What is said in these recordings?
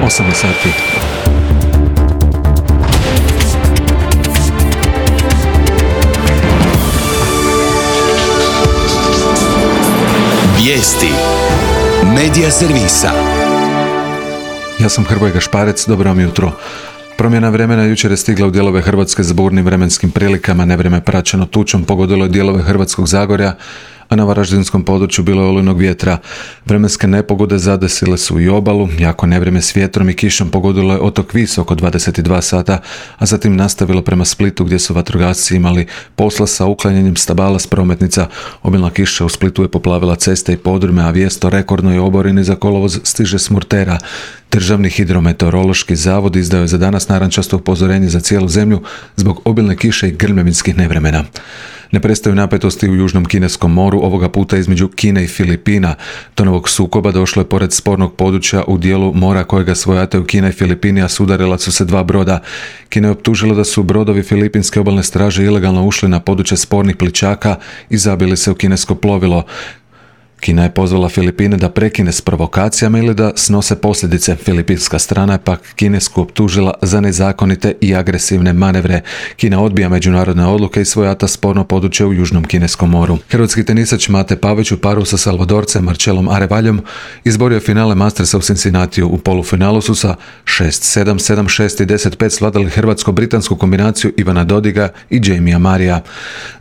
8 je sati. Vijesti Medija servisa. Ja sam Hrvoje Gašparec, dobro vam jutro. Promjena vremena jučer je stigla u dijelove Hrvatske s burnim vremenskim prilikama. Nevrijeme praćeno tučom pogodilo je dijelove Hrvatskog Zagorja, a na varaždinskom području bilo je olujnog vjetra. Vremenske nepogode zadesile su i obalu, jako nevrijeme s vjetrom i kišom pogodilo je otok Vis oko 22 sata, a zatim nastavilo prema Splitu gdje su vatrogasci imali posla sa uklanjanjem stabala s prometnica. Obilna kiša u Splitu je poplavila ceste i podrume, a vijest o rekordnoj oborini za kolovoz stiže s Murtera. Državni hidrometeorološki zavod izdao je za danas narančasto upozorenje za cijelu zemlju zbog obilne kiše i grmljavinskih nevremena. Ne prestaju napetosti u Južnom kineskom moru, ovoga puta između Kine i Filipina. Do novog sukoba došlo je pored spornog područja u dijelu mora kojega svojataju Kina i Filipini, a sudarila su se dva broda. Kina je optužila da su brodovi Filipinske obalne straže ilegalno ušli na područje spornih plićaka i zabili se u kinesko plovilo. Kina je pozvala Filipine da prekine s provokacijama ili da snose posljedice. Filipinska strana je pak Kinesku optužila za nezakonite i agresivne manevre. Kina odbija međunarodne odluke i svojata sporno područje u Južnom kineskom moru. Hrvatski tenisač Mate Pavić u paru sa Salvadorcem Marcelom Arevaljom izborio finale Mastersa u Cincinnatiju. U polufinalu su sa 6-7, 7-6 i 10-5 svladali hrvatsko-britansku kombinaciju Ivana Dodiga i Jamija Marija.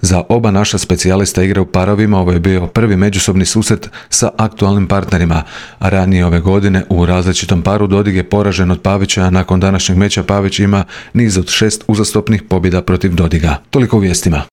Za oba naša specijalista igra u parovima, ovo je bio prvi međusobni susret sa aktualnim partnerima, a ranije ove godine u različitom paru Dodig je poražen od Pavića, a nakon današnjeg meča Pavić ima niz od 6 uzastopnih pobjeda protiv Dodiga. Toliko u vijestima.